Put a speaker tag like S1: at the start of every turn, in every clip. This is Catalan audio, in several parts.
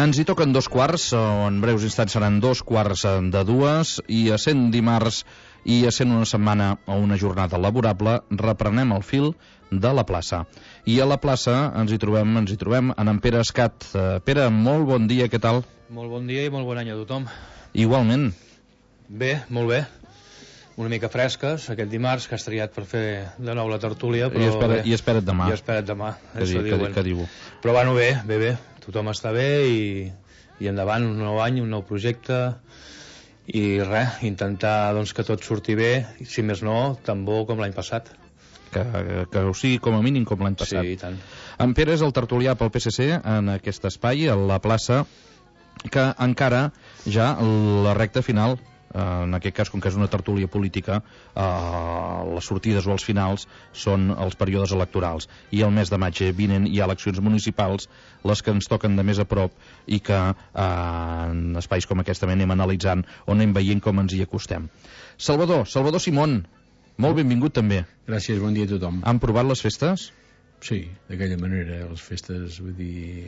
S1: Ens hi toquen 2 quarts, o en breus instants seran 2 quarts de 2, i essent dimarts i essent una setmana o una jornada laborable, reprenem el fil de la plaça. I a la plaça ens hi trobem en Pere Escat. Pere, molt bon dia, què tal?
S2: Molt bon dia i molt bon any a tothom.
S1: Igualment.
S2: Bé, molt bé. Una mica fresques, aquest dimarts, que has triat per fer de nou la tertúlia, però...
S1: I espera't demà.
S2: I espera't demà,
S1: això diuen. Que diu.
S2: Però bueno, bé. Tothom està bé i endavant, un nou any, un nou projecte, i res, intentar doncs, que tot surti bé, i si més no, tan bo com l'any passat.
S1: Que ho sigui com a mínim com l'any passat.
S2: Sí, i tant.
S1: En Pere és el tertulià pel PSC en aquest espai, a la plaça, que encara ja la recta final, en aquest cas, com que és una tertúlia política, les sortides o els finals són els períodes electorals, i el mes de maig vinent hi ha eleccions municipals, les que ens toquen de més a prop, i que en espais com aquest també anem analitzant o anem veient com ens hi acostem. Salvador Simón, molt benvingut també.
S3: Gràcies, bon dia a tothom.
S1: Han provat les festes?
S3: Sí, d'aquella manera, les festes, vull dir,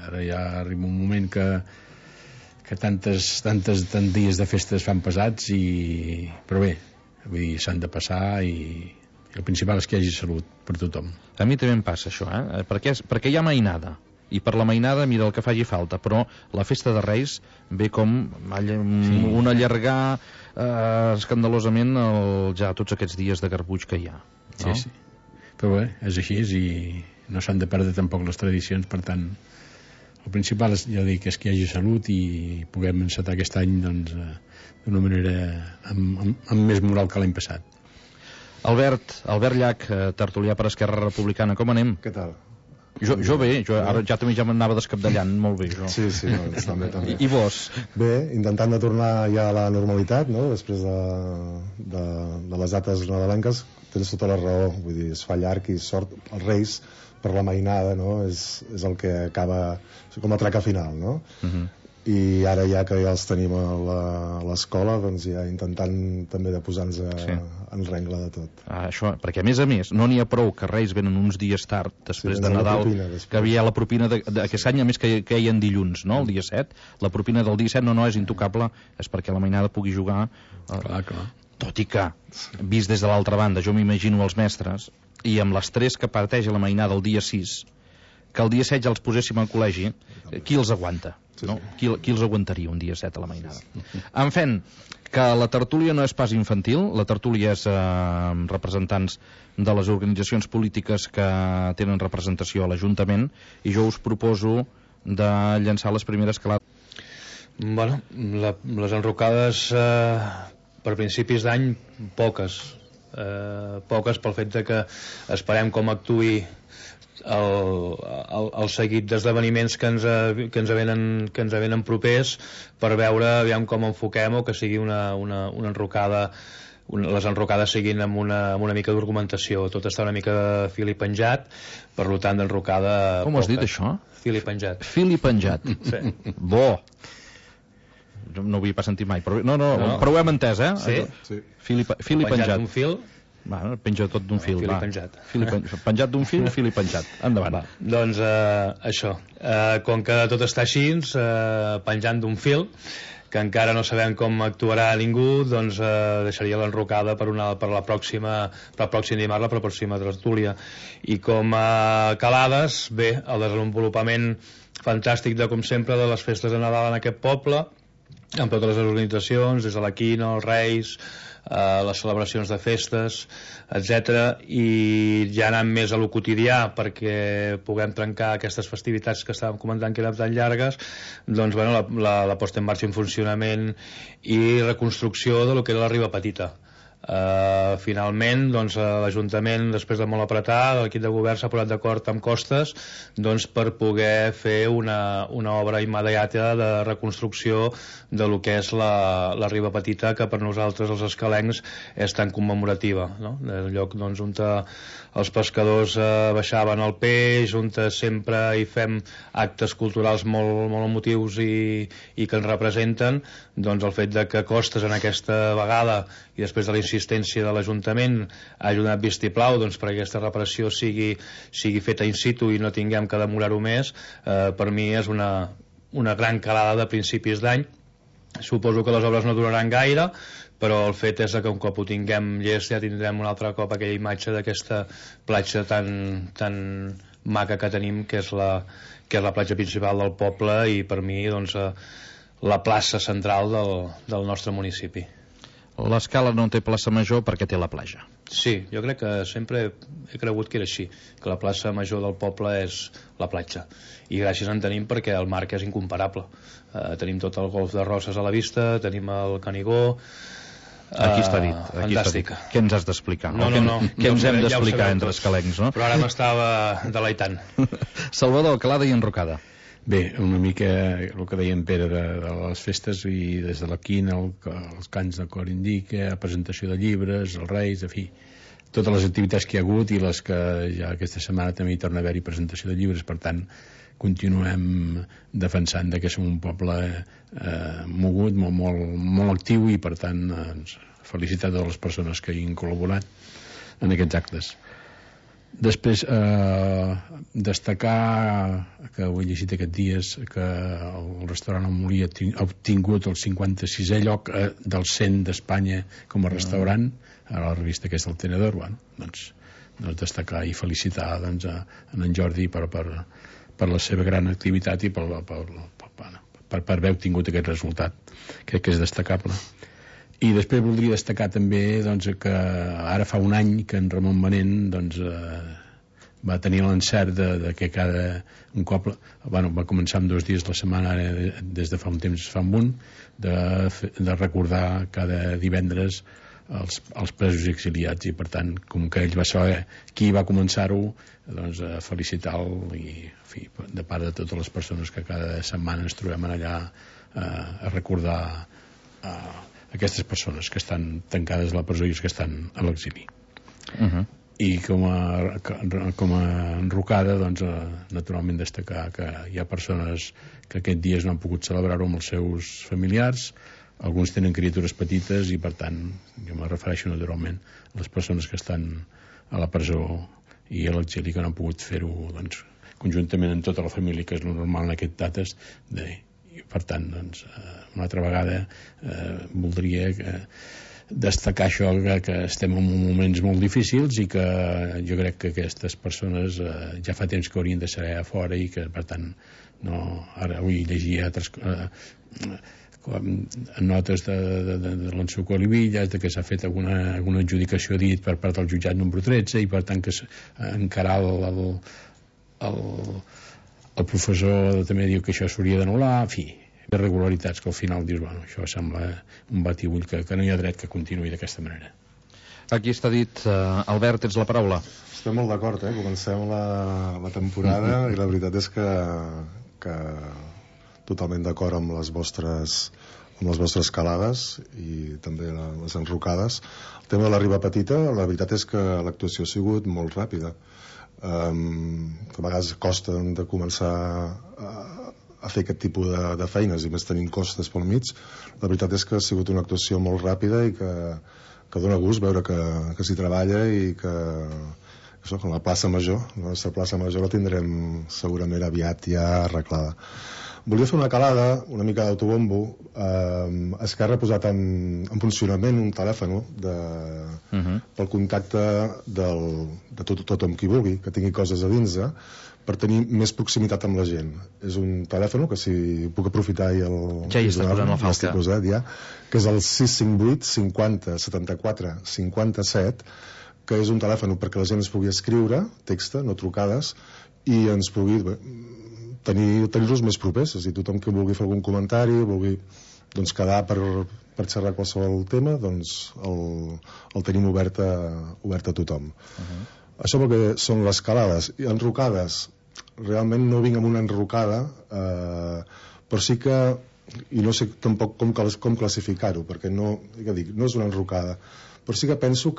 S3: ara ja arriba un moment que tants dies de festes fan pesats, però bé, vull dir, s'han de passar, i el principal és que hi hagi salut per tothom.
S1: A mi també em passa això, perquè hi ha mainada, i per la mainada mira el que faci falta, però la festa de Reis ve com un allargar escandalosament ja tots aquests dies de garbuix que hi ha, no?
S3: Sí, però bé, és així, i no s'han de perdre tampoc les tradicions, per tant el principal és, ja dic, és que hi hagi salut i puguem encetar aquest any doncs, d'una manera amb més moral que l'any passat.
S1: Albert Llach, tertulià per Esquerra Republicana, com anem?
S4: Què tal?
S1: Jo bé, ara ja m'anava descapdallant molt bé, jo.
S4: Sí, també.
S1: I vos?
S4: Bé, intentant de tornar ja a la normalitat, no?, després de les dates nadalenques. Tens tota la raó, vull dir, es fa llarg i sort els Reis per la mainada, no?, és el que acaba com a traca final, no? I ara ja que ja els tenim a l'escola, doncs ja intentant també de posar-nos en rengle de tot.
S1: Això, perquè a més no n'hi ha prou que Reis venen uns dies tard després de Nadal, que havia la propina d'aquest any, a més que hi ha dilluns, no?, el dia 7, la propina del dia 7 no és intocable, és perquè la mainada pugui jugar.
S3: Clar.
S1: Tot i que, vist des de l'altra banda, jo m'imagino els mestres, i amb l'estrès que parteix la mainada el dia 6, que el dia 7 ja els poséssim al col·legi, qui els aguanta? No? Qui els aguantaria un dia 7 a la mainada? En fi, que la tertúlia no és pas infantil, la tertúlia és representants de les organitzacions polítiques que tenen representació a l'Ajuntament, i jo us proposo de llançar les primeres calades.
S2: Bueno, les enrocades per principis d'any, poques pel fet de que esperem com actuï el seguit d'esdeveniments que ens venen propers, per veure aviam com enfoquem, o que sigui una enrocada, les enrocades siguin amb una mica d'argumentació. Tot està una mica fil i penjat, per tant d'enrocada...
S1: Com has dit això?
S2: Fil i penjat.
S1: Fil i penjat.
S2: Sí.
S1: Bo. No ho havia pas sentit mai, però però ho hem entès,
S2: Sí.
S1: Fil i penjat.
S2: Penjat d'un fil.
S1: Penja tot d'un fil.
S2: Fil i penjat.
S1: Penjat d'un fil, fil i penjat. Endavant.
S2: Doncs això. Com que tot està així, penjant d'un fil, que encara no sabem com actuarà ningú, doncs deixaria l'enrocada per el pròxim dimarts, la pròxima tertúlia. I com a calades, bé, el desenvolupament fantàstic com sempre de les festes de Nadal en aquest poble, amb totes les organitzacions, des de la Quina, els Reis, les celebracions de festes, etc. I ja anant més a lo quotidià, perquè puguem trencar aquestes festivitats que estàvem comentant que eren tan llargues, doncs bueno, la posta en marxa, en funcionament i reconstrucció de lo que era la Riba Petita. Finalment, doncs, l'Ajuntament, després de molt apretar, l'equip de govern s'ha posat d'acord amb Costes, doncs, per poder fer una obra immediata de reconstrucció de lo que és la Riba Petita, que per nosaltres, els escalencs, és tan commemorativa, no? El lloc doncs, on els pescadors baixaven el peix, on sempre hi fem actes culturals molt emotius i que ens representen. Doncs el fet de que Costes en aquesta vegada, i després de la insistència de l'Ajuntament, ha ajudat vistiplau perquè aquesta reparació sigui feta in situ i no tinguem que demorar-ho més, per mi és una una gran calada de principis d'any. Suposo que les obres no duraran gaire, però el fet és que un cop ho tinguem llest ja tindrem un altre cop aquella imatge d'aquesta platja tan maca que tenim, que és la platja principal del poble i per mi doncs, la plaça central del nostre municipi.
S1: L'Escala no té plaça major perquè té la platja.
S2: Sí, jo crec que sempre he cregut que era així, que la plaça major del poble és la platja, i gràcies en tenim perquè el marc és incomparable. Tenim tot el golf de Roses a la vista, tenim el Canigó.
S1: Aquí està dit.
S2: Fantàstic.
S1: Què ens has d'explicar?
S2: No.
S1: Què ens hem d'explicar entre escalencs, no?
S2: Però ara m'estava deleitant.
S1: Salvador, calada i enrocada.
S3: Bé, una mica el que deia en Pere de les festes, i des de la quina, els cants de cor indica, presentació de llibres, els Reis, en fi, totes les activitats que hi ha hagut i les que ja aquesta setmana també hi torna a haver-hi presentació de llibres. Per tant, continuem defensant que som un poble mogut, molt actiu, i per tant felicitar totes les persones que hi han col·laborat en aquests actes. Després destacar que ho he llegit aquests dies, que el restaurant El Molí ha obtingut el 56è lloc del 100 d'Espanya com a restaurant a la revista que és el Tenedor. Doncs destacar i felicitar doncs, en Jordi per la seva gran activitat i per haver obtingut aquest resultat. Crec que és destacable. I després voldria destacar també doncs, que ara fa un any que en Ramon Manent doncs, va tenir l'encert de que un cop va començar amb 2 dies la setmana, ara des de fa un temps fa un, de recordar cada divendres els presos i exiliats, i per tant, com que ell va saber qui va començar-ho, doncs felicitar-lo, i en fi, de part de totes les persones que cada setmana ens trobem allà a recordar aquestes persones que estan tancades a la presó i els que estan a l'exili. I com a enrocada, doncs, naturalment destacar que hi ha persones que aquests dies no han pogut celebrar-ho amb els seus familiars. Alguns tenen criatures petites i per tant jo me refereixo naturalment a les persones que estan a la presó i a l'exili, que no han pogut fer-ho doncs, conjuntament amb tota la família, que és el normal en aquestes dates. I per tant doncs, una altra vegada voldria destacar això, que estem en moments molt difícils i que jo crec que aquestes persones ja fa temps que haurien de ser a fora, i que per tant no, ara avui llegia altres notes de l'Ensuco Olivillas, que s'ha fet alguna adjudicació dit per part del jutjat número 13, i per tant que encarar el professor també diu que això s'hauria d'anul·lar. En fi, irregularitats que al final dius, bueno, això sembla un batibull que no hi ha dret que continuï d'aquesta manera.
S1: Aquí està dit. Albert, tens la paraula.
S4: Estem molt d'acord, comencem la temporada i la veritat és que totalment d'acord amb les vostres calades i també les enrocades. El tema de la Riba Petita, la veritat és que l'actuació ha sigut molt ràpida. Que a vegades costa de començar a fer aquest tipus de feines, i més tenint costes pel mig. La veritat és que ha sigut una actuació molt ràpida i que dona gust veure que s'hi treballa, i que això, com la plaça Major, la nostra plaça Major la tindrem segurament aviat ja arreglada. Volia fer una calada, una mica d'autobombo. Esquerra ha posat en funcionament un telèfon pel contacte de tothom qui vulgui, que tingui coses a dins, per tenir més proximitat amb la gent. És un telèfon que, si puc aprofitar, ja
S1: hi està posant la falca,
S4: que és el 658 50 74 57, que és un telèfon perquè la gent es pugui escriure text, no trucades, i ens pugui tenir-los més propers. És a dir, tothom que vulgui fer algun comentari, vulgui quedar per xerrar qualsevol tema, doncs el tenim obert a tothom. Això pel que són les calades. I enrocades, realment no vinc amb una enrocada, però sí que, i no sé tampoc com classificar-ho, perquè no és una enrocada, però sí que penso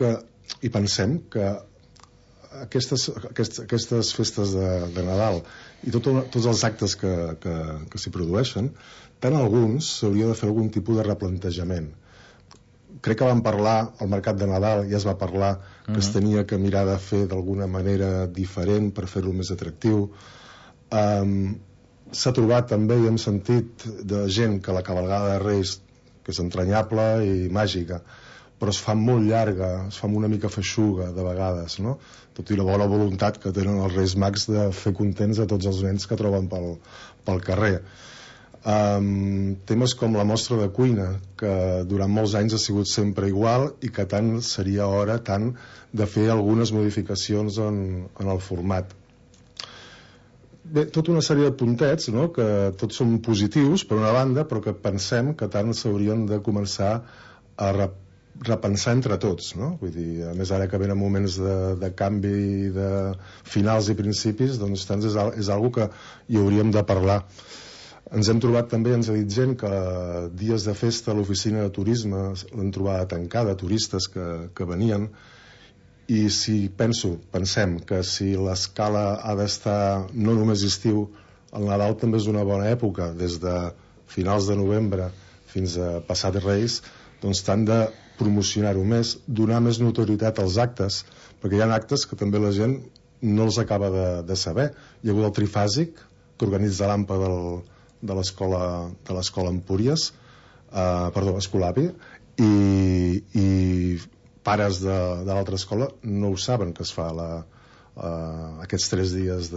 S4: i pensem que aquestes festes de Nadal i tots els actes que s'hi produeixen, tant alguns s'hauria de fer algun tipus de replantejament. Crec que vam parlar al mercat de Nadal, ja es va parlar que es tenia que mirar de fer d'alguna manera diferent per fer-lo més atractiu. s'ha trobat també i hem sentit de gent que la cavalgada de Reis, que és entranyable i màgica, però es fa molt llarga, es fa una mica feixuga de vegades, no? Tot i la bona voluntat que tenen els Reis Mags de fer contents a tots els nens que troben pel carrer. Temes com la mostra de cuina, que durant molts anys ha sigut sempre igual i que tant seria hora de fer algunes modificacions en el format. Bé, tota una sèrie de puntets, no?, que tots són positius per una banda, però que pensem que tant s'haurien de començar a repensar entre tots, no? Vull dir, a més ara que venen moments de canvi de finals i principis, doncs tant és algo que hi hauríem de parlar. Ens hem trobat també, ens ha dit gent que dies de festa a l'oficina de turisme l'han trobada tancada, turistes que venien, i si pensem que si l'escala ha d'estar no només estiu, el Nadal també és una bona època, des de finals de novembre fins a passat Reis, doncs tant de promocionar-ho més, donar més notorietat als actes, perquè hi ha actes que també la gent no els acaba de saber. Hi ha hagut el trifàsic que organitza l'AMPA de l'escola Empúries, Escolapi, i pares de l'altra escola no ho saben que es fa aquests 3 dies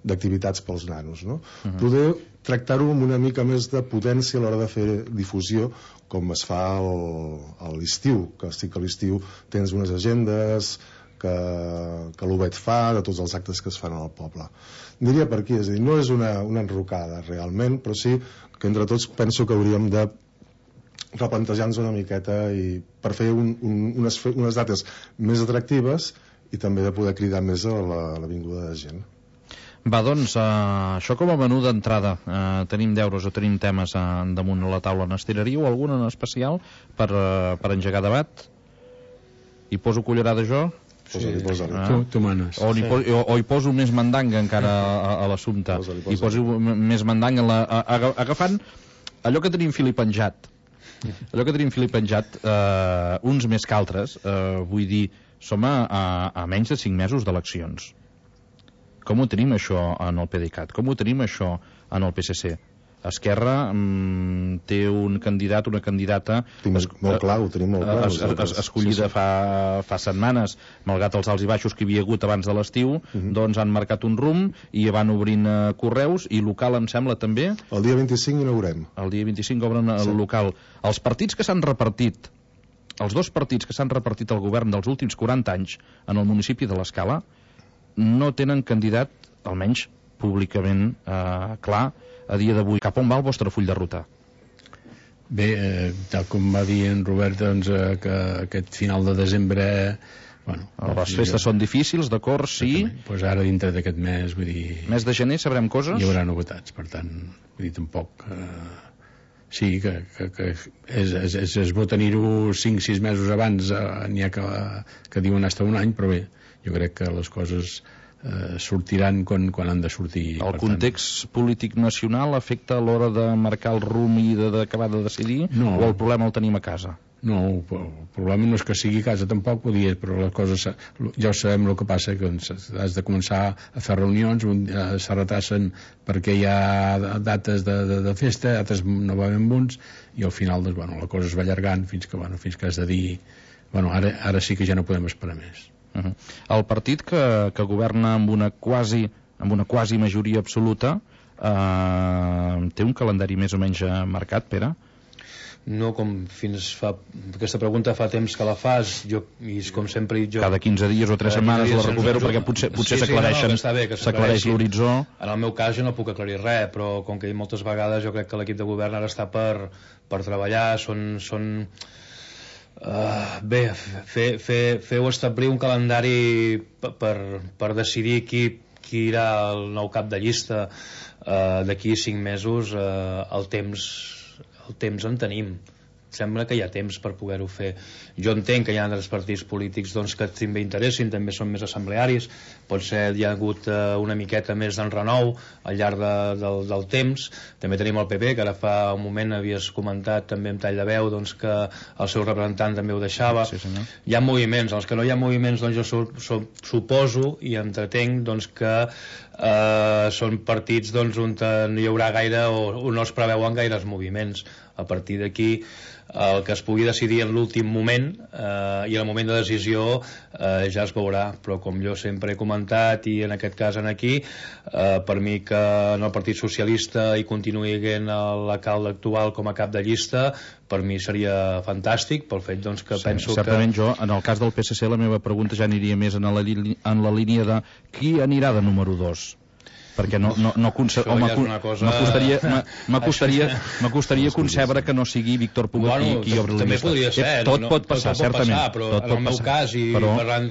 S4: d'activitats pels nanos, no? Poder tractar-ho amb una mica més de potència a l'hora de fer difusió, com es fa a l'estiu, que sí que a l'estiu tens unes agendes que l'UBET fa, de tots els actes que es fan al poble. Diria per aquí, és a dir, no és una enrocada realment, però sí que entre tots penso que hauríem de replantejar-nos una miqueta i per fer unes dates més atractives i també de poder cridar més a la vinguda de gent.
S1: Va, doncs, això com a menú d'entrada. Tenim deures o tenim temes damunt la taula. N'estiraríeu algun en especial per engegar debat? Hi poso cullerada jo?
S3: Tu manes.
S1: O hi poso més mandanga encara a l'assumpte. Hi poso més mandanga agafant allò que tenim fil i penjat. Uns més que altres, vull dir, som a menys de 5 mesos d'eleccions. Com ho tenim això en el PDeCAT? Com ho tenim això en el PSC? Esquerra té un candidat, una candidata
S4: molt clar, ho tenim molt clar,
S1: escollida fa setmanes, malgrat els alts i baixos que hi havia hagut abans de l'estiu, doncs han marcat un rumb i van obrint correus, i local em sembla també
S4: el dia 25 inaugurem.
S1: El dia 25 obren el local. Els partits que s'han repartit, els 2 partits que s'han repartit al govern dels últims 40 anys en el municipi de l'Escala, no tenen candidat, almenys públicament clar, a dia d'avui. Cap on va el vostre full de ruta?
S3: Bé, tal com va dir en Robert, doncs, que aquest final de desembre...
S1: Les festes són difícils, d'acord, sí.
S3: Doncs ara dintre d'aquest mes, vull dir...
S1: Mes de gener sabrem coses?
S3: Hi haurà novetats, per tant, vull dir, tampoc... Sí, que és bo tenir-ho 5-6 mesos abans, n'hi ha que diuen hasta un any, però bé, jo crec que les coses sortiran quan han de sortir.
S1: El context polític nacional afecta a l'hora de marcar el rumb i d'acabar de decidir, o el problema el tenim a casa?
S3: No, el problema no és que sigui a casa tampoc, però les coses ja ho sabem. El que passa que has de començar a fer reunions, se retrassen perquè hi ha dates de festa, altres no va ben bons, i al final la cosa es va allargant fins que has de dir ara sí que ja no podem esperar més.
S1: El partit que governa amb una quasi majoria absoluta té un calendari més o menys marcat, Pere?
S2: No, com fins fa... Aquesta pregunta fa temps que la fas, i com sempre jo...
S1: Cada 15 dies o 3 setmanes la recupero, perquè potser s'aclareix l'horitzó. En
S2: el meu cas jo no puc aclarir res, però com que he dit moltes vegades, jo crec que l'equip de govern ara està per treballar, bé, fer o establir un calendari per decidir qui irà el nou cap de llista d'aquí 5 mesos. El temps en tenim, sembla que hi ha temps per poder-ho fer. Jo entenc que hi ha altres partits polítics doncs, que també interessin, també són més assemblearis, potser hi ha hagut una miqueta més d'enrenou al llarg del temps. També tenim el PP, que ara fa un moment havies comentat també amb tall de veu doncs, que el seu representant també ho deixava.
S1: Sí, senyor.
S2: Hi ha moviments, els que no hi ha moviments doncs jo suposo i entretenc doncs, que són partits doncs, on no hi haurà gaire o no es preveuen gaires moviments. A partir d'aquí el que es pugui decidir en l'últim moment i en el moment de decisió ja es veurà, però com jo sempre he comentat i en aquest cas aquí per mi que en el Partit Socialista hi continuï havent l'alcalde actual com a cap de llista, per mi seria fantàstic, pel fet doncs, que penso
S1: certament
S2: que...
S1: jo, en el cas del PSC la meva pregunta ja aniria més en la línia de qui anirà de número 2, perquè m'acostaria concebre que no sigui Víctor Puga qui obri la llista.
S2: Podria ser,
S1: tot pot passar, certament,
S2: però en el meu cas i parlant,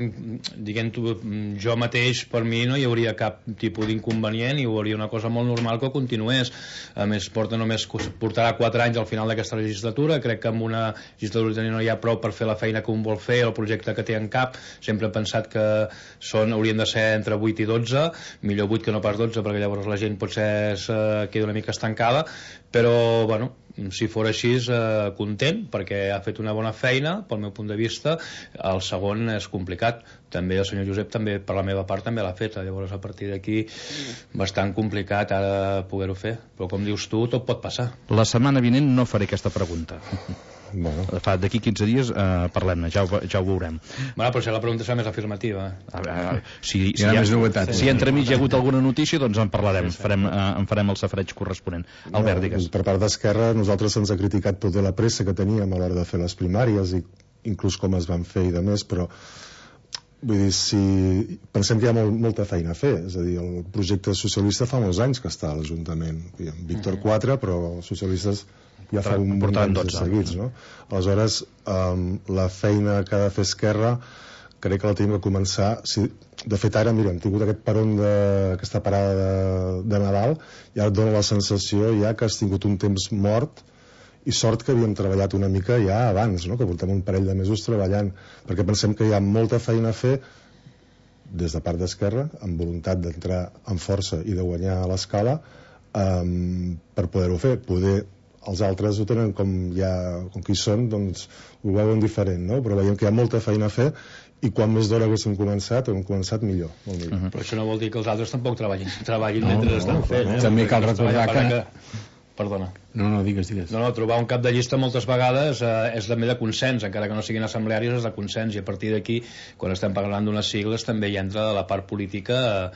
S2: diguem-ho, jo mateix, per mi no hi hauria cap tipus d'inconvenient i ho hauria una cosa molt normal que continués. A més, portarà 4 anys al final d'aquesta legislatura. Crec que amb una legislatura no hi ha prou per fer la feina que un vol fer, el projecte que té en cap. Sempre he pensat que haurien de ser entre 8 i 12, millor 8 que no pas 12, perquè llavors la gent potser queda una mica estancada, però bueno, si fos així content, perquè ha fet una bona feina pel meu punt de vista. El segon és complicat, també el senyor Josep també per la meva part també l'ha fet, llavors a partir d'aquí bastant complicat ara poder-ho fer, però com dius tu, tot pot passar.
S1: La setmana vinent no faré aquesta pregunta.
S4: Bueno.
S1: D'aquí 15 dies parlem-ne, ja ho veurem.
S2: Bueno, però si la pregunta serà més afirmativa.
S1: Si entremig hi ha hagut alguna notícia, doncs en parlarem, en farem el safareig corresponent. Albert, digues.
S4: Per part d'Esquerra, nosaltres ens ha criticat tota la pressa que teníem a l'hora de fer les primàries i inclús com es van fer i de més, però vull dir, si pensem que hi ha molta feina a fer, és a dir, el projecte socialista fa molts anys que està a l'Ajuntament, Víctor 4, però els socialistes ja fa un munt d'anys seguits, no? Aleshores, la feina que ha de fer Esquerra crec que la tenim que començar. De fet, ara, mira, hem tingut aquest peron aquesta parada de Nadal i ara et dona la sensació ja que has tingut un temps mort i sort que havíem treballat una mica ja abans, no? Que portem un parell de mesos treballant, perquè pensem que hi ha molta feina a fer des de part d'Esquerra, amb voluntat d'entrar amb força i de guanyar a l'escala per poder-ho fer. Poder els altres ho tenen com qui són, doncs ho veuen diferent, no? Però veiem que hi ha molta feina a fer i quan més d'hora haguéssim començat, hem començat millor, molt millor.
S2: Però això no vol dir que els altres tampoc treballin mentre estan fent.
S3: També cal recordar que...
S2: Perdona.
S3: No, digues.
S2: No, trobar un cap de llista moltes vegades és també de consens, encara que no siguin assemblearis, és de consens, i a partir d'aquí, quan estem parlant d'unes sigles, també hi entra la part política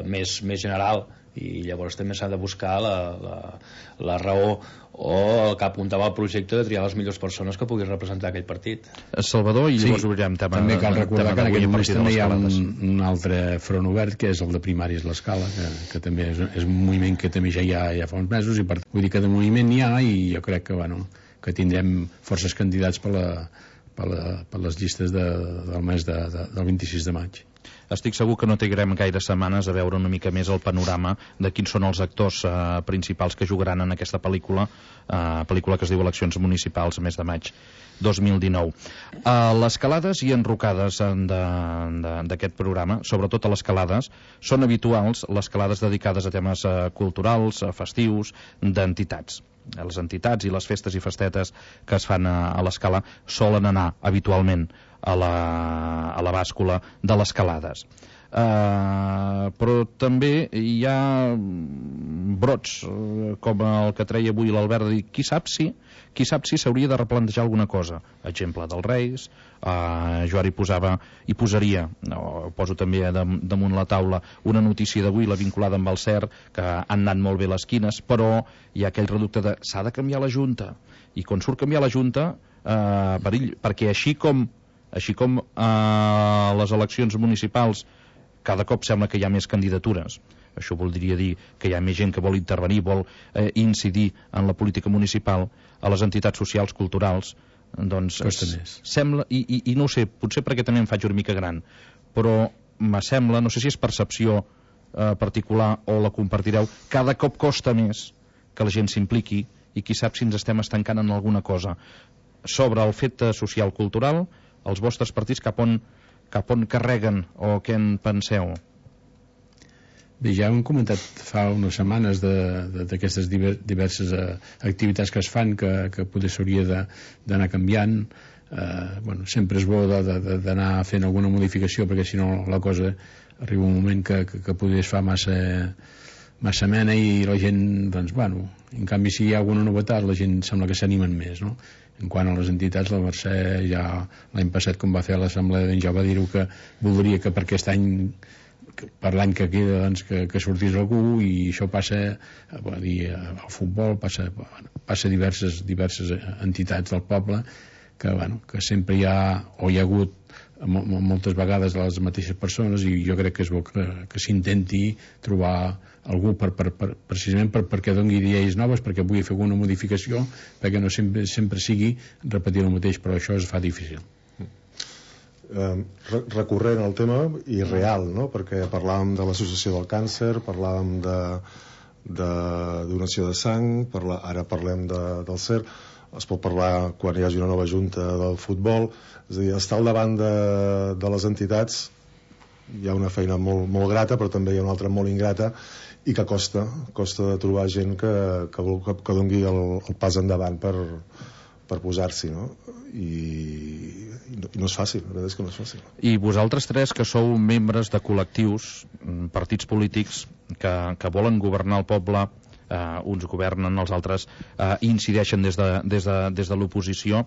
S2: més general, i llavors també s'ha de buscar la raó o el que apuntava al projecte de triar les millors persones que puguin representar aquell partit.
S1: Salvador, i llavors obrirem tema.
S3: També cal recordar que en aquest moment també hi ha un altre front obert, que és el de primàries l'Escala, que també és un moviment que també ja hi ha fa uns mesos, i vull dir que de moviment n'hi ha, i jo crec que tindrem forces candidats per les llistes del mes del 26 de maig.
S1: Estic segur que no trigarem gaire setmanes a veure una mica més el panorama de quins són els actors principals que jugaran en aquesta pel·lícula que es diu Eleccions Municipals, mes de maig 2019. Les calades i enrocades d'aquest programa, sobretot a les calades, són habituals les calades dedicades a temes culturals, festius, d'entitats. Les entitats i les festes i festetes que es fan a l'Escala solen anar habitualment a la bàscula de les calades. Però també hi ha brots com el que treia avui l'Albert, de dir, qui sap si s'hauria de replantejar alguna cosa. Exemple dels Reis, jo ara hi posaria, poso també damunt la taula una notícia d'avui, la vinculada amb el CER, que han anat molt bé les quines, però hi ha aquell reducte de s'ha de canviar la Junta, i quan surt canviar la Junta perill, perquè així com les eleccions municipals cada cop sembla que hi ha més candidatures, això voldria dir que hi ha més gent que vol intervenir, vol incidir en la política municipal, a les entitats socials, culturals, doncs sembla, i no ho sé, potser perquè també em faig una mica gran, però me sembla, no sé si és percepció particular o la compartireu, cada cop costa més que la gent s'impliqui i qui sap si ens estem estancant en alguna cosa. Sobre el fet social cultural, els vostres partits cap on carreguen o què en penseu?
S3: Bé, ja hem comentat fa unes setmanes d'aquestes diverses activitats que es fan, que potser s'hauria d'anar canviant. Bueno, sempre és bo d'anar fent alguna modificació, perquè si no la cosa arriba un moment que potser es fa massa mena i la gent, doncs, bueno, en canvi si hi ha alguna novetat la gent sembla que s'animen més, no? En quant a les entitats, la Mercè ja l'any passat, com va fer a l'assemblea, doncs ja va dir que voldria que per aquest any, per l'any que queda, doncs, que sortís algú, i això passa al futbol, passa diverses entitats del poble que sempre hi ha, o hi ha hagut moltes vegades les mateixes persones, i jo crec que és bo que s'intenti trobar algú precisament perquè doni idees noves, perquè pugui fer alguna modificació, perquè no sempre sigui repetir el mateix, però això es fa difícil.
S4: Recurrent al tema i real, no? Perquè parlàvem de l'associació del càncer, parlàvem de donació de sang, ara parlem del CER, es pot parlar quan hi hagi una nova junta del futbol, és a dir, estar al davant de les entitats. Hi ha una feina molt grata, però també hi ha una altra molt ingrata, i que costa de trobar gent que doni el pas endavant per posar-s'hi, no? I no és fàcil, la veritat és que no és fàcil.
S1: I vosaltres tres, que sou membres de col·lectius, partits polítics que volen governar el poble, uns governen, els altres incideixen des de l'oposició,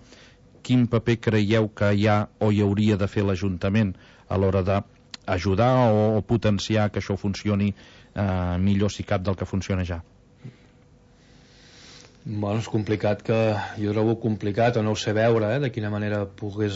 S1: quin paper creieu que hi ha o hi hauria de fer l'Ajuntament a l'hora d'ajudar o potenciar que això funcioni millor, si cap, del que funciona ja?
S2: Bueno, és complicat, jo trobo complicat, o no ho sé veure, de quina manera pogués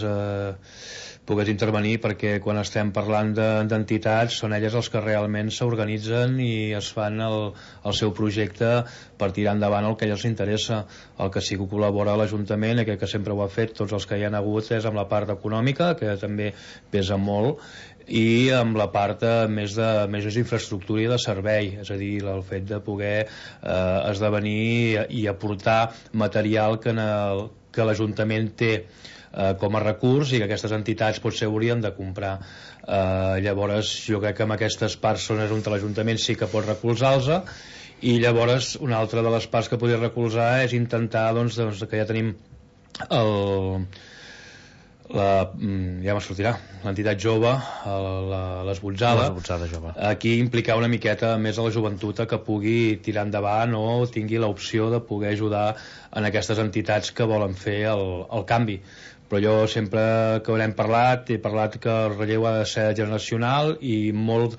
S2: intervenir, perquè quan estem parlant d'entitats són elles els que realment s'organitzen i es fan el seu projecte per tirar endavant el que a elles interessa. El que sí que col·labora a l'Ajuntament, que sempre ho ha fet, tots els que hi han hagut, és amb la part econòmica, que també pesa molt, i amb la part més d'infraestructura i de servei, és a dir, el fet de poder esdevenir i aportar material que l'Ajuntament té com a recurs i que aquestes entitats potser haurien de comprar. Llavors jo crec que amb aquestes parts són on l'Ajuntament sí que pot recolzar-los, i llavors una altra de les parts que podria recolzar és intentar, doncs, que ja tenim ja me sortirà, l'entitat jove, l'Esbotzada, aquí implicar una miqueta més a la joventut que pugui tirar endavant o tingui l'opció de poder ajudar en aquestes entitats que volen fer el canvi. Però jo sempre que haurem parlat, he parlat que el relleu ha de ser generacional i molt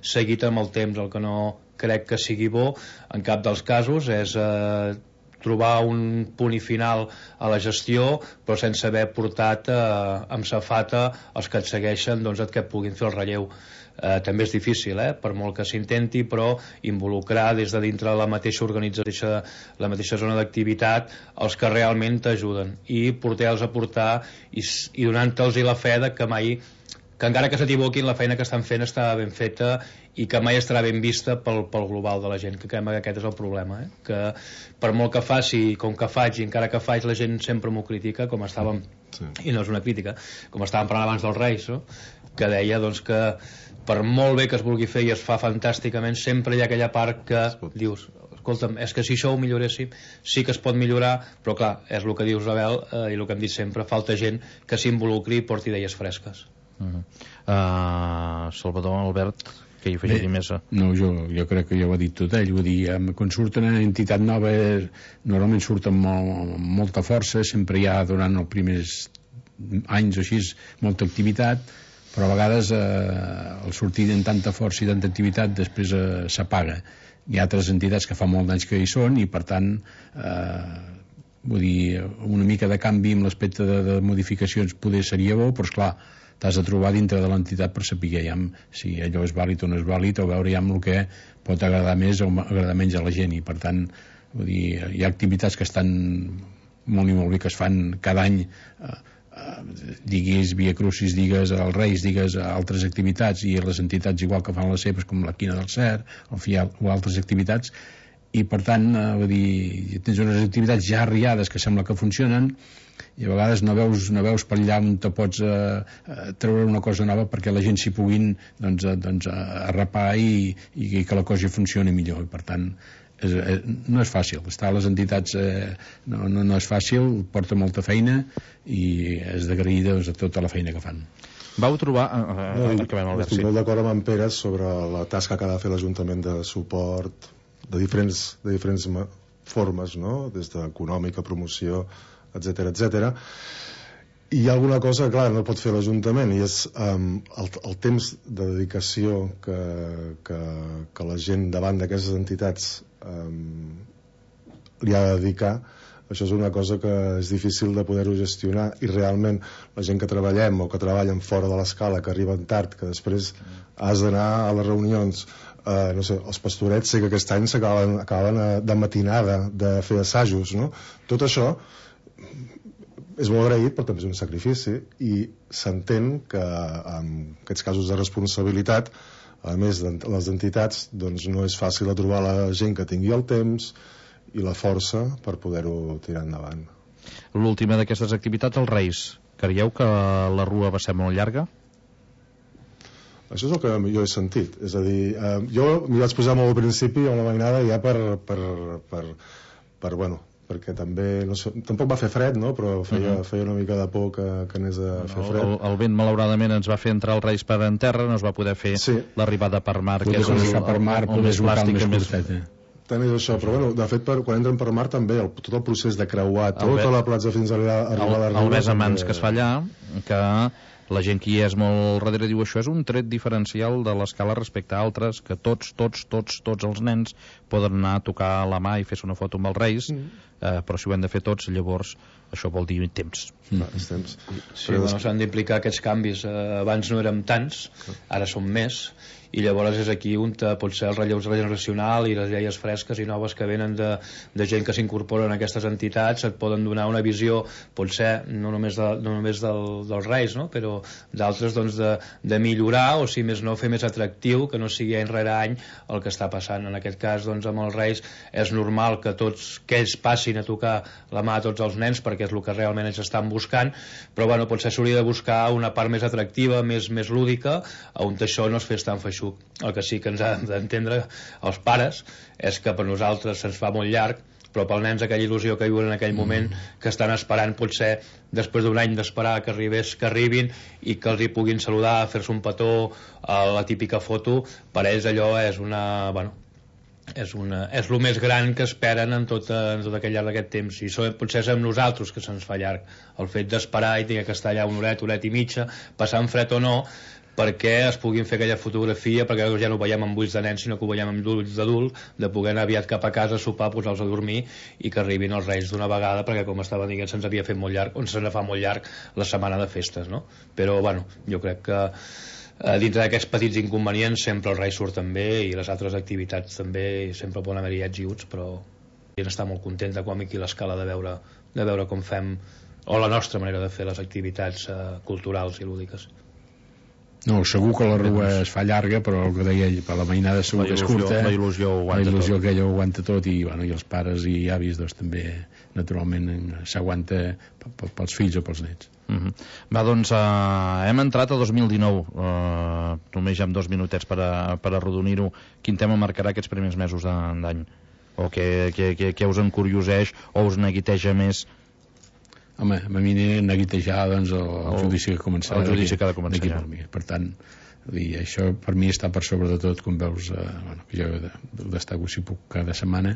S2: seguit amb el temps. El que no crec que sigui bo en cap dels casos és trobar un punt i final a la gestió, però sense haver portat amb safata els que et segueixen, doncs, que puguin fer el relleu. També és difícil, per molt que s'intenti, però involucrar des de dintre la mateixa organització, la mateixa zona d'activitat, els que realment t'ajuden, i portar-los a portar i donant-los la fe que encara que s'equivoquin, la feina que estan fent està ben feta i que mai estarà ben vista pel global de la gent, que crec que aquest és el problema, que per molt que faci, com que faig, i encara que faig, la gent sempre m'ho critica, com estàvem, i no és una crítica, com estàvem parlant abans dels Reis, no? Que deia, doncs, que per molt bé que es vulgui fer i es fa fantàsticament, sempre hi ha aquella part que dius, escolta'm, és que si això ho milloréssim, sí que es pot millorar, però clar, és el que dius, Abel, i el que hem dit sempre, falta gent que s'involucri i porti idees fresques.
S1: Salvador, Albert, que hi afegiria més?
S3: No, jo crec que ja ho ha dit tot ell. Vull dir, quan surten una entitat nova normalment surten amb molta força, sempre hi ha durant els primers anys o així molta activitat, però a vegades el sortir amb tanta força i tanta activitat després s'apaga. Hi ha altres entitats que fa molt d'anys que hi són i per tant vull dir, una mica de canvi amb l'aspecte de modificacions poder seria bo, però esclar, t'has de trobar dintre de l'entitat per saber si allò és vàlid o no és vàlid, o veure el que pot agradar més o agradar menys a la gent, i per tant vull dir, hi ha activitats que estan molt i molt bé, que es fan cada any, diguis Via Crucis, digues els Reis, digues altres activitats, i les entitats igual que fan les seves, com la Quina del Cert o altres activitats, i per tant vull dir, tens unes activitats ja arriades que sembla que funcionen i a vegades no veus per allà on te pots treure una cosa nova perquè la gent s'hi puguin arrapar i que la cosa funcioni millor, i per tant no és fàcil, estar a les entitats no és fàcil, porta molta feina i és d'agrair a tota la feina que fan.
S1: Vau trobar...
S4: Estic molt d'acord amb en Pere sobre la tasca que ha de fer l'Ajuntament de suport de diferents formes, no? Des d'econòmica, promoció, etc. I hi ha alguna cosa, clar, no pot fer l'Ajuntament, i és el temps de dedicació que la gent davant d'aquestes entitats li ha de dedicar. Això és una cosa que és difícil de poder-ho gestionar, i realment la gent que treballem o que treballen fora de l'escala, que arriben tard, que després has d'anar a les reunions, no sé, els pastorets sé que aquest any acaben de matinada de fer assajos, no? Tot això és molt agraït, però també és un sacrifici, i s'entén que en aquests casos de responsabilitat, a més de les entitats, doncs no és fàcil de trobar la gent que tingui el temps i la força per poder-ho tirar endavant.
S1: L'última d'aquestes activitats, els Reis. Creieu que la rua va ser molt llarga?
S4: Això és el que jo he sentit. És a dir, jo m'hi vaig posar molt al principi a una mainada ja perquè també, no sé, tampoc va fer fred, no? Però feia una mica de por que anés a fer fred.
S1: El vent, malauradament, ens va fer entrar els Reis per en terra, no es va poder fer l'arribada per mar, que és el més plàstic, el més curtet.
S4: Tant és això, però bueno, de fet quan entren per mar també tot el procés de creuar tota la platja fins a arribar a la riba,
S1: el besamans que es fa allà, que la gent que hi és molt darrere diu això és un tret diferencial de l'escala respecte a altres, que tots els nens poden anar a tocar la mà i fer-se una foto amb els Reis, però si ho hem de fer tots, llavors això vol dir temps.
S4: Temps.
S2: Sí, s'han d'implicar aquests canvis. Abans no érem tants, ara som més, i llavors és aquí on potser el relleu generacional i les idees fresques i noves que venen de gent que s'incorporen a aquestes entitats et poden donar una visió, potser no només dels Reis, no? Però d'altres, doncs, de millorar, o si més no fer més atractiu, que no sigui any rere any el que està passant. En aquest cas, doncs, amb els Reis és normal que ells passin a tocar la mà a tots els nens perquè és el que realment ells estan buscant, però bueno, potser s'hauria de buscar una part més atractiva, més lúdica, on això no es fes tan feixuc. El que sí que ens ha d'entendre els pares és que per nosaltres se'ns fa molt llarg, però pels nens aquella il·lusió que viuen en aquell moment, que estan esperant potser després d'un any d'esperar que arribin i que els hi puguin saludar, fer-se un petó, la típica foto, per ells allò és és el més gran que esperen en tot aquell llarg d'aquest temps, i potser és amb nosaltres que se'ns fa llarg el fet d'esperar i tenir que estar allà una horeta i mitja, passant fred o no, perquè es puguin fer aquella fotografia, perquè ja no ho veiem amb ulls de nen sinó que ho veiem amb ulls d'adult, de poder anar aviat cap a casa, sopar, posar-los a dormir i que arribin els Reis d'una vegada, perquè com estava dient se'ns havia fet molt llarg, se'ns fa molt llarg la setmana de festes, no? Però bueno, jo crec que dintre d'aquests petits inconvenients sempre els Reis surten bé i les altres activitats també, i sempre poden haver-hi ets i uts, però gent està molt contenta com aquí l'escala de veure com fem, o la nostra manera de fer les activitats culturals i lúdiques.
S3: No, segur que la rua es fa llarga, però el que deia ell, per la mainada segur que és curta,
S1: la il·lusió
S3: aquella ho aguanta tot, i els pares i avis doncs també naturalment s'aguanta pels fills o pels nets.
S1: Va, doncs hem entrat a 2019, només ja amb 2 minutets per arrodonir-ho. Quin tema marcarà aquests primers mesos d'any? O què us encurioseix o us neguiteja més?
S3: Home, a mi neguitejar doncs, el judici que començarà.
S1: El judici que ha de començar ja.
S3: Per tant, això per mi està per sobre de tot, com veus, que jo destaco si puc cada setmana,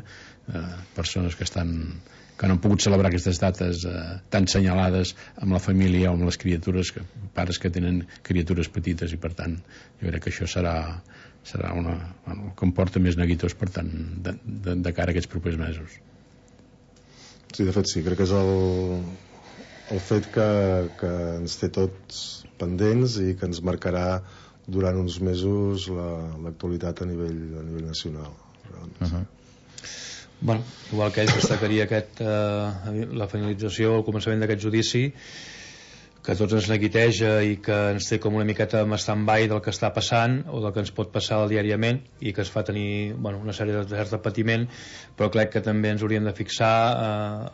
S3: persones que no han pogut celebrar aquestes dates tan senyalades amb la família o amb les criatures, pares que tenen criatures petites, i per tant jo crec que això serà el que em porta més neguitós, per tant, de cara a aquests propers mesos.
S4: Sí, de fet sí, crec que és el fet que ens té tots pendents i que ens marcarà durant uns mesos l'actualitat a nivell nacional.
S2: Bueno, igual que ells destacaria la finalització, el començament d'aquest judici, que tots ens neguiteja i que ens té com una miqueta en stand-by del que està passant o del que ens pot passar diàriament i que es fa tenir una sèrie de cert patiment, però crec que també ens hauríem de fixar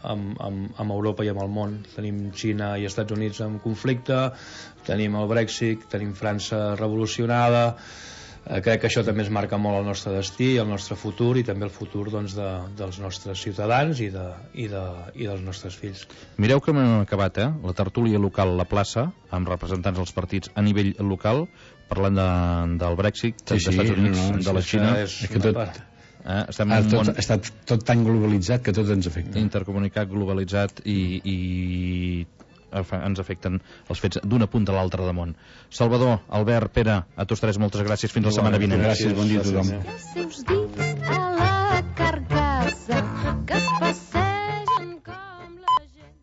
S2: amb Europa i amb el món. Tenim Xina i Estats Units en conflicte, tenim el Brexit, tenim França revolucionada. Crec que això també es marca molt el nostre destí, el nostre futur i també el futur dels nostres ciutadans i dels nostres fills.
S1: Mireu que hem acabat, la tertúlia local a la plaça, amb representants dels partits a nivell local, parlant del Brexit, dels Estats Units, de la Xina.
S3: Està tot tan globalitzat que tot ens afecta.
S1: Intercomunicat, globalitzat i ens afecten els fets d'una punta a l'altra de món. Salvador, Albert, Pere, a tots tres moltes gràcies, fins la setmana vinent.
S3: Gràcies, bon dia a tothom.
S5: Els seus dits a la carcassa que es passegen com la gent.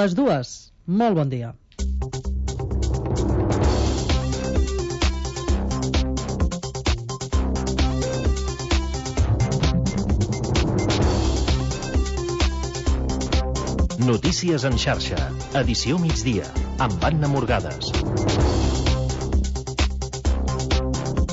S6: Les dues, molt bon dia.
S7: Notícies en xarxa, edició migdia, amb Anna Morgades.